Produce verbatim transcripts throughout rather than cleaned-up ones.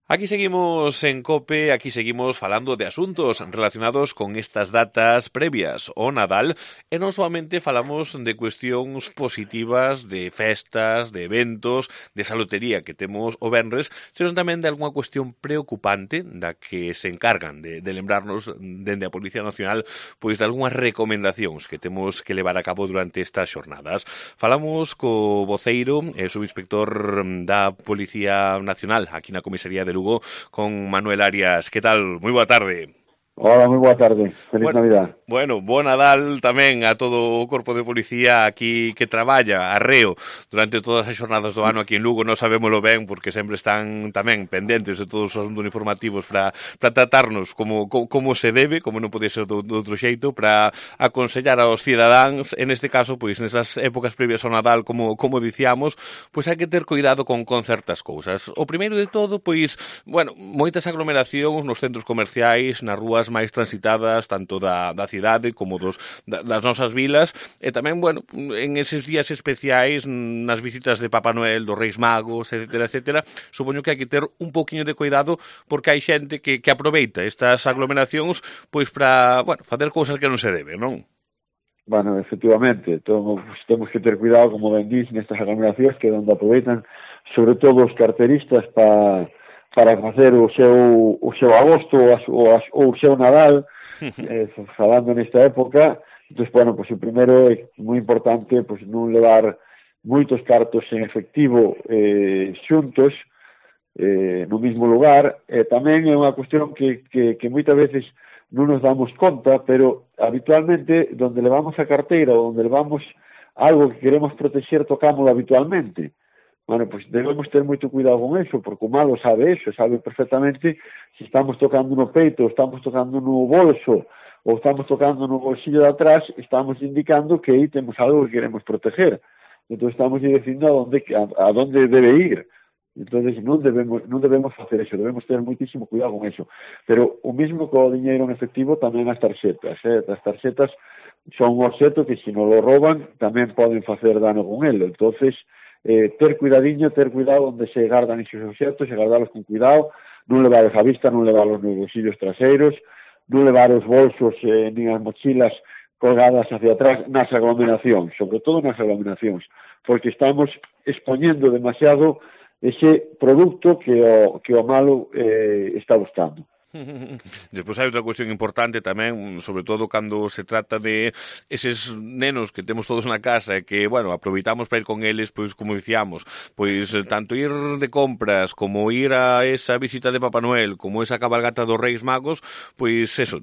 Aquí seguimos en COPE, aquí seguimos falando de asuntos relacionados con estas datas previas ao Nadal e non soamente falamos de cuestións positivas, de festas, de eventos, de esa lotería que temos o venres, senón tamén de algunha cuestión preocupante da que se encargan de, de lembrarnos dende a Policía Nacional pois de algunhas recomendacións que temos que levar a cabo durante estas xornadas. Falamos co voceiro e subinspector da Policía Nacional aquí na Comisaría de Lugo con Manuel Arias. Que tal? Moi boa tarde. Hola, moi boa tarde. Feliz bueno, Navidad. Bueno, bo Nadal tamén a todo o corpo de policía aquí que traballa arreo durante todas as xornadas do ano aquí en Lugo. Non sabémolo ben porque sempre están tamén pendentes de todos os asuntos informativos para, para tratarnos como, como, como se debe, como non pode ser do, do outro xeito, para aconsellar aos cidadáns, en este caso, pois nesas épocas previas ao Nadal, como, como dicíamos, pois hai que ter cuidado con, con certas cousas. O primeiro de todo, pois, bueno, moitas aglomeracións nos centros comerciais, nas rúas máis transitadas, tanto da, da cidade como dos, da, das nosas vilas, e tamén, bueno, en eses días especiais, nas visitas de Papá Noel, dos Reis Magos, etcétera, etcétera, supoño que hai que ter un pouquiño de cuidado porque hai xente que, que aproveita estas aglomeracións pois para, bueno, facer cousas que non se deben, non? Bueno, efectivamente, temos, temos que ter cuidado, como ben dís, nestas aglomeracións que onde aproveitan, sobre todo os carteristas para para facer o seu, o seu agosto ou, ou o seu Nadal, eh, falando nesta época. Entón, bueno, pues, o primeiro é moi importante pues, non levar moitos cartos en efectivo eh, xuntos eh, no mismo lugar. E tamén é unha cuestión que, que, que moitas veces non nos damos conta, pero habitualmente donde levamos a carteira ou donde levamos algo que queremos protexer, tocámoslo habitualmente. Bueno, pues debemos ter moito cuidado con eso, porque o malo sabe eso, sabe perfectamente se estamos tocando no peito, ou estamos tocando no bolso, ou estamos tocando no bolsillo de atrás, estamos indicando que aí temos algo que queremos proteger. Entón estamos dicindo a donde, a, a donde debe ir. Entón non debemos, non debemos facer eso, debemos ter moitísimo cuidado con eso. Pero o mismo co diñeiro en efectivo tamén as tarxetas. Eh? As tarxetas son un obxeto que se non lo roban tamén poden facer dano con ele. Entonces, Eh, ter cuidadiño, ter cuidado onde se gardan esos obxectos, e gardalos con cuidado, non levaros a vista, non levaros nos bolsillos traseiros, non levar os bolsos eh, nin as mochilas colgadas hacia atrás nas aglomeracións, sobre todo nas aglomeracións, porque estamos expoñendo demasiado ese producto que o, que o malo eh, está buscando. Despois hai outra cuestión importante tamén, sobre todo cando se trata de eses nenos que temos todos na casa e que, bueno, aproveitamos para ir con eles, pois, como dicíamos, pois, tanto ir de compras como ir a esa visita de Papá Noel, como esa cabalgata dos Reis Magos, pois, eso,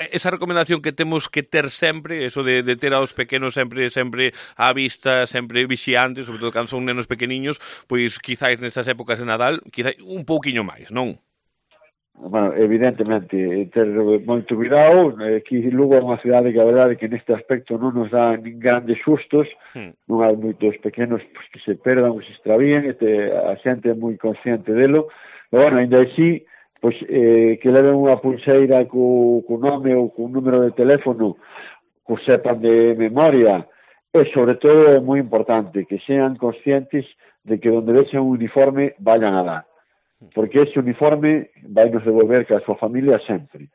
esa recomendación que temos que ter sempre, eso de, de ter aos pequenos sempre sempre á vista, sempre vixiantes, sobre todo cando son nenos pequeniños, pois, quizáis nestas épocas de Nadal, quizáis un pouquiño máis, non? Bueno, evidentemente, ter moito cuidado. Aquí Lugo é unha cidade que a verdade que neste aspecto non nos dá nin grandes sustos, hmm. non hai moitos pequenos pues, que se perdan ou se extravíen, e te, a xente é moi consciente delo, pero bueno, ainda así, pues, eh, que leven unha pulseira co, co nome ou co número de teléfono, que sepan de memoria, e sobre todo é moi importante que sean conscientes de que donde vexen un uniforme vayan a dar, porque ese uniforme vai nos devolver que a súa familia sempre.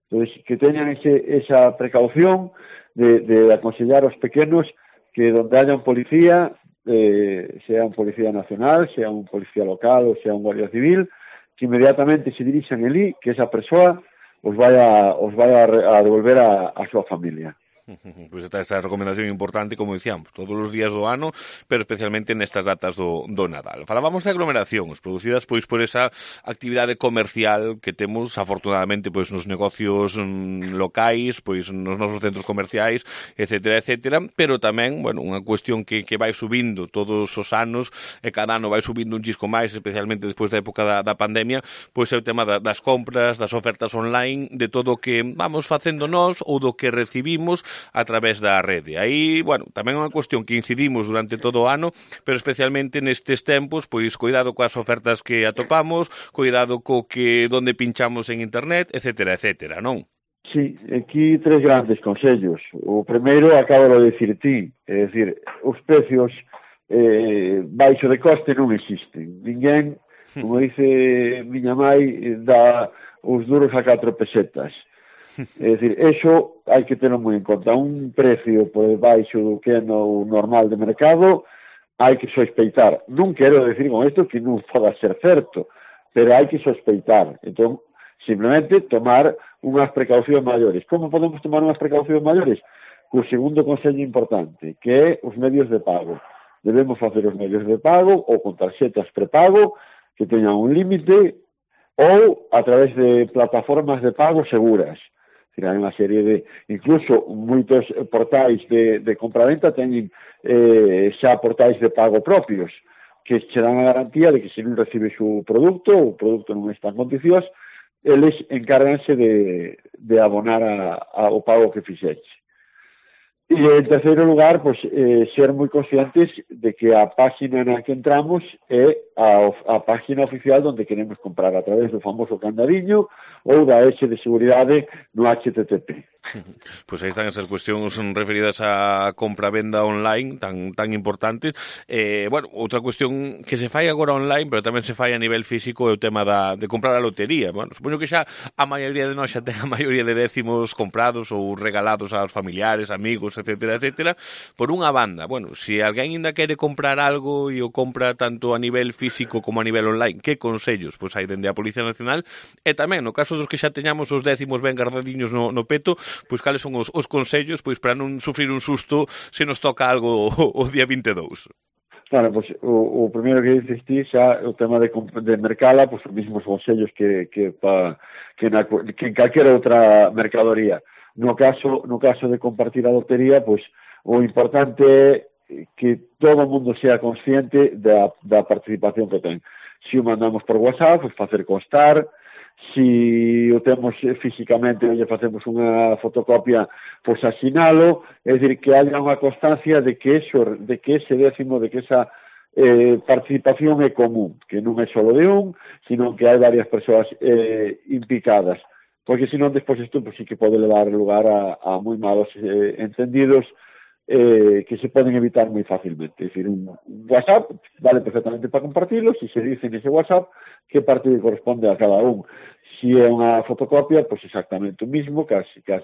Entón, que teñan ese, esa precaución de, de aconsellar aos pequenos que donde haya un policía, eh, sea un policía nacional, sea un policía local ou sea un guardia civil, que inmediatamente se dirixan elí, que esa persoa os vai a, os vai a, a devolver a, a súa familia. Pois está esa recomendación importante, como dicíamos, todos os días do ano, pero especialmente nestas datas do, do Nadal. Falábamos de aglomeracións producidas pois por esa actividade comercial que temos, afortunadamente, pois nos negocios mm, locais, pois nos nosos centros comerciais, etcétera, etcétera, pero tamén, bueno, unha cuestión que, que vai subindo todos os anos, e cada ano vai subindo un chisco máis, especialmente despois da época da, da pandemia, pois é o tema da, das compras, das ofertas online, de todo o que vamos facendo nós ou do que recibimos a través da rede. Aí, bueno, tamén é unha cuestión que incidimos durante todo o ano, pero especialmente nestes tempos, pois cuidado coas ofertas que atopamos, cuidado co que donde pinchamos en internet, etcétera, etcétera, non? Sí, aquí tres grandes consellos. O primeiro acabo de dicir ti, é dicir, os precios eh, baixo de coste non existen. Ninguén Como dice miña mai, dá os duros a catro pesetas. É dicir, eso hai que terlo moi en conta. Un precio por debaixo do que é no normal de mercado hai que sospeitar. Non quero decir con isto que non poda ser certo, pero hai que sospeitar. Entón, simplemente tomar unhas precaucións maiores. Como podemos tomar unhas precaucións maiores? O segundo consello importante, que é os medios de pago. Debemos facer os medios de pago ou con tarxetas prepago que teñan un límite ou a través de plataformas de pago seguras. Hai unha serie de, incluso moitos portais de, de compraventa teñen eh, xa portais de pago propios que che dan a garantía de que se non recibes o produto, o produto non está en condicións, eles encárganse de, de abonar a, a, o pago que fixeche. E en terceiro lugar, pues, eh, ser moi conscientes de que a página na que entramos é a, a página oficial onde queremos comprar a través do famoso candadiño ou da S de seguridade no H T T P. Pois aí están esas cuestións referidas á compra-venda online tan tan importantes. Eh, bueno, outra cuestión que se fai agora online, pero tamén se fai a nivel físico é o tema da, de comprar a lotería. Bueno, supoño que xa a maioría de nós xa ten a maioría de décimos comprados ou regalados aos familiares, amigos, etcétera, etcétera. Por unha banda, bueno, se alguén ainda quere comprar algo e o compra tanto a nivel físico como a nivel online, que consellos pois hai dende a Policía Nacional? E tamén, no caso dos que xa teñamos os décimos ben guardadiños no, no peto, pois cales son os, os consellos pois para non sufrir un susto se nos toca algo o, o día vinte e dous. Claro, pois o, o primeiro que dices ti xa o tema de, de mercala, pois os mesmos consellos que que pa, que, na, que en calquera outra mercadoría. No caso no caso de compartir a lotería, pois o importante é que todo o mundo sea consciente da, da participación que ten. Se o mandamos por WhatsApp, pois facer constar. Si o temos físicamente e lle facemos unha fotocopia, pois asinalo, é dicir, que haya unha constancia de que eso, de que ese décimo, de que esa eh, participación é común, que non é só de un, sino que hai varias persoas eh, implicadas, porque senón despois isto pues, sí que pode levar lugar a, a moi malos eh, entendidos eh, que se poden evitar moi fácilmente. É dicir, un WhatsApp vale perfectamente para compartirlo, se se dice nese WhatsApp que parte corresponde a cada un. Si é unha fotocopia, pois exactamente o mismo, que as, que as,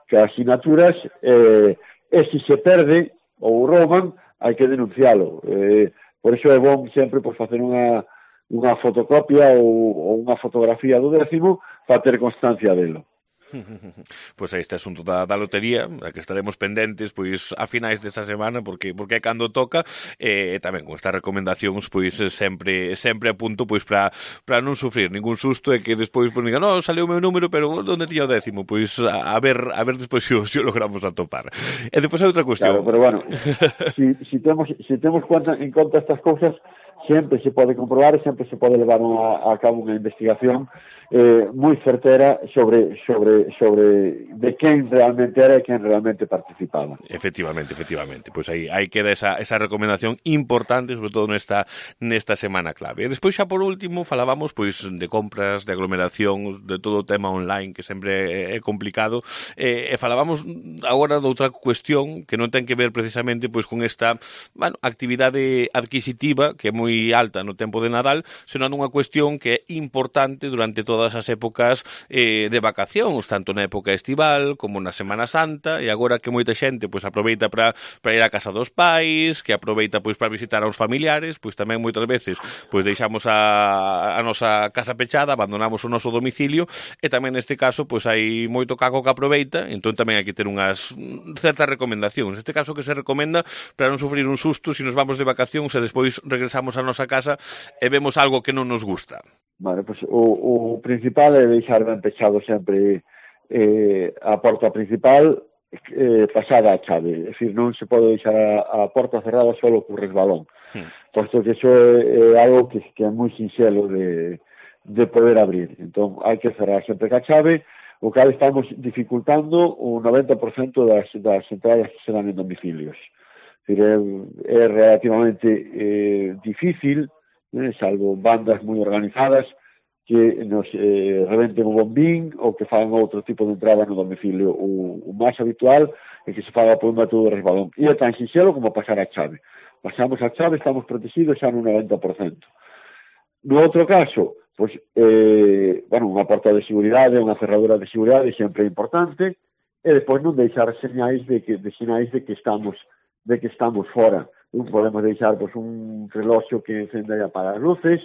que as asignaturas, eh, e se se perde ou rouban, hai que denuncialo. Eh, por iso é bom sempre pois, facer unha, unha fotocopia ou, ou unha fotografía do décimo para ter constancia delo. Pois aí este asunto da, da lotería, a que estaremos pendentes pois a finais desta semana, porque porque é cando toca, e eh, tamén con estas recomendacións pois sempre sempre a punto pois para para non sufrir ningún susto e que despois pois digan, "No, saliu o meu número, pero onde tiña o décimo?" Pois a, a ver a ver despois se si, si o logramos atopar. E despois hai outra cuestión. Claro, pero bueno, si, si temos si temos conta, en conta estas cousas, sempre se pode comprobar e sempre se pode levar unha, a cabo unha investigación eh, moi certera sobre sobre sobre de quen realmente era e quen realmente participaba. Efectivamente, efectivamente. Pois aí aí queda esa esa recomendación importante, sobre todo nesta nesta semana clave. E despois xa por último falábamos pois de compras, de aglomeracións, de todo o tema online que sempre é complicado, e, e falábamos agora de outra cuestión que non ten que ver precisamente pois con esta, bueno, actividade adquisitiva que é moi alta no tempo de Nadal, senón unha cuestión que é importante durante todas as épocas eh, de vacacións, tanto na época estival como na Semana Santa, e agora que moita xente pois aproveita para para ir á casa dos pais, que aproveita pois para visitar aos familiares, pois tamén moitas veces pois deixamos a, a nosa casa pechada, abandonamos o noso domicilio, e tamén neste caso pois hai moito caco que aproveita, entón tamén hai que ter unhas certas recomendacións. Neste caso que se recomenda para non sufrir un susto se nos vamos de vacacións e despois regresamos á nosa casa e vemos algo que non nos gusta. Vale, pois o, o principal é deixar ben pechado sempre eh, a porta principal eh, pasada a chave. É dicir, non se pode deixar a, a porta cerrada solo co resbalón. Hmm. Posto que iso é, é algo que, que é moi sinxelo de, de poder abrir. Entón, hai que cerrar sempre ca chave, o que estamos dificultando o noventa por cento das, das entradas que se dan en domicilios. É, é relativamente eh, difícil, eh, salvo bandas moi organizadas que nos eh, rebenten o bombín ou que fagan outro tipo de entrada no domicilio. O, o máis habitual é que se faga por un método de resbalón. E é tan sinxelo como pasar a chave. Pasamos a chave, estamos protegidos xa no noventa por cento. No outro caso, pois, eh, bueno, unha porta de seguridade, unha cerradura de seguridade sempre é importante, e depois non deixar señais de que, de sinais de que estamos de que estamos fora. Non podemos deixar pois, un reloxo que encenda e apaga as luces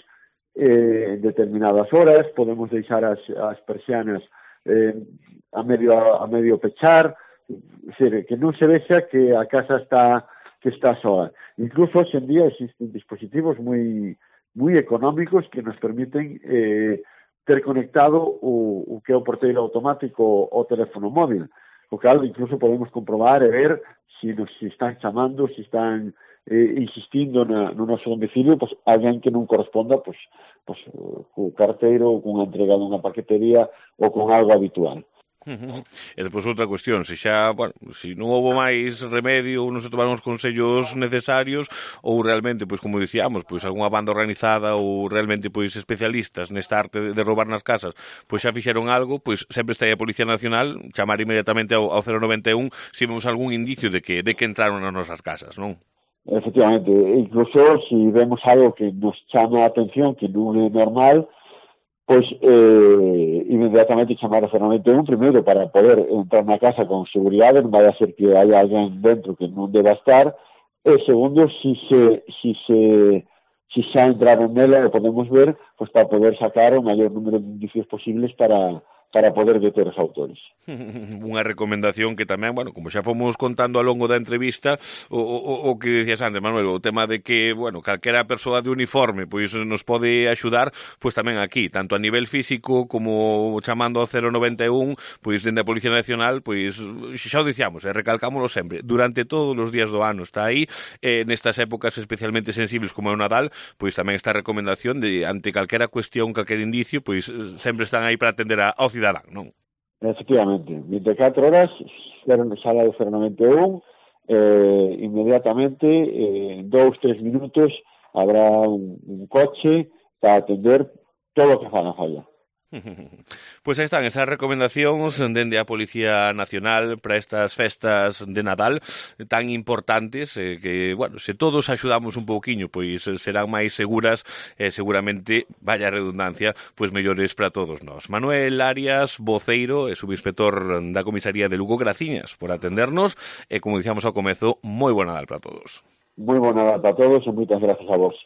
eh, en determinadas horas, podemos deixar as, as persianas eh, a medio a medio pechar, decir, que non se vexa que a casa está que está soa. Incluso hoxe en día existen dispositivos moi moi económicos que nos permiten eh, ter conectado o, o que é o porteiro automático ao teléfono móvil. O cal incluso podemos comprobar e ver se nos se están chamando, se están eh, insistindo na, no noso domicilio, pues, alguén que non corresponda pues, pues, co carteiro ou cunha entrega dunha paquetería ou con algo habitual. E depois outra cuestión, se xa, bueno, se non houve máis remedio ou non se tomaron os consellos necesarios ou realmente, pois como dicíamos, pois algunha banda organizada ou realmente pois especialistas nesta arte de, de roubar nas casas, pois xa fixeron algo, pois sempre está aí a Policía Nacional chamar inmediatamente ao, ao cero noventa e un se vemos algún indicio de que de que entraron nas nosas casas, non? Efectivamente, incluso se vemos algo que nos chama a atención, que non é normal, pois eh, inmediatamente chamar ao cero noventa e un primeiro para poder entrar na casa con seguridade, non vai a ser que hai alguén dentro que non deba estar, e segundo, si se, si se si xa entraron nela, o podemos ver, pois para poder sacar o maior número de indicios posibles para para poder deter os autores. Unha recomendación que tamén, bueno, como xa fomos contando ao longo da entrevista, o, o, o que decías antes, Manuel, o tema de que, bueno, calquera persoa de uniforme pois nos pode axudar, pois tamén aquí, tanto a nivel físico como chamando ao cero noventa e un, pois dende a Policía Nacional, pois xa o dicíamos, e recalcámoslo sempre, durante todos os días do ano está aí, eh, nestas épocas especialmente sensibles como é o Nadal, pois tamén esta recomendación de, ante calquera cuestión, calquer indicio, pois sempre están aí para atender ao cidadán, non? Efectivamente, vinte e catro horas, sala do cero noventa e un, eh, inmediatamente, eh, en dous, tres minutos, habrá un, un coche para atender todo o que faga falla. Pois aí están esas recomendacións dende a Policía Nacional para estas festas de Nadal tan importantes eh, que, bueno, se todos axudamos un pouquiño, pois serán máis seguras e eh, seguramente, vaya redundancia, pois mellores para todos nós. Manuel Arias, voceiro e subinspector da Comisaría de Lugo, graciñas por atendernos e, como dicíamos ao comezo, moi bo Nadal para todos. Moi bo Nadal para todos e moitas gracias a vos.